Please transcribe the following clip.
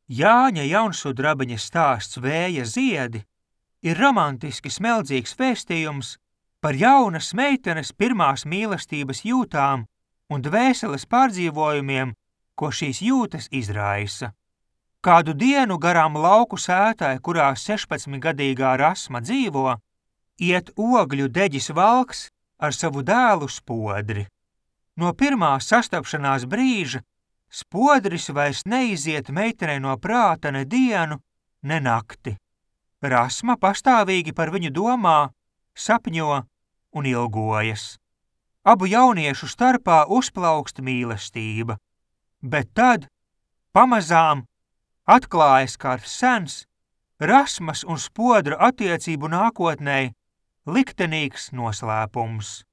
Jāņa jaunsudrabiņa stāsts Vēja ziedi ir romantiski smeldzīgs vēstījums par jaunas meitenes pirmās mīlestības jūtām un dvēseles pārdzīvojumiem, ko šīs jūtas izraisa. Kādu dienu garām lauku sētai, kurā 16-gadīgā Rasma dzīvo, iet ogļu deģis Valks ar savu dēlu Spodri. No pirmā sastapšanās brīža Spodris vairs neiziet meitenei no prāta ne dienu, ne nakti. Rasma pastāvīgi par viņu domā, sapņo un ilgojas. Abu jauniešu starpā uzplaukst mīlestība, bet tad, pamazām, atklājas kāds sens, Rasmas un Spodra attiecību nākotnē liktenīgs noslēpums.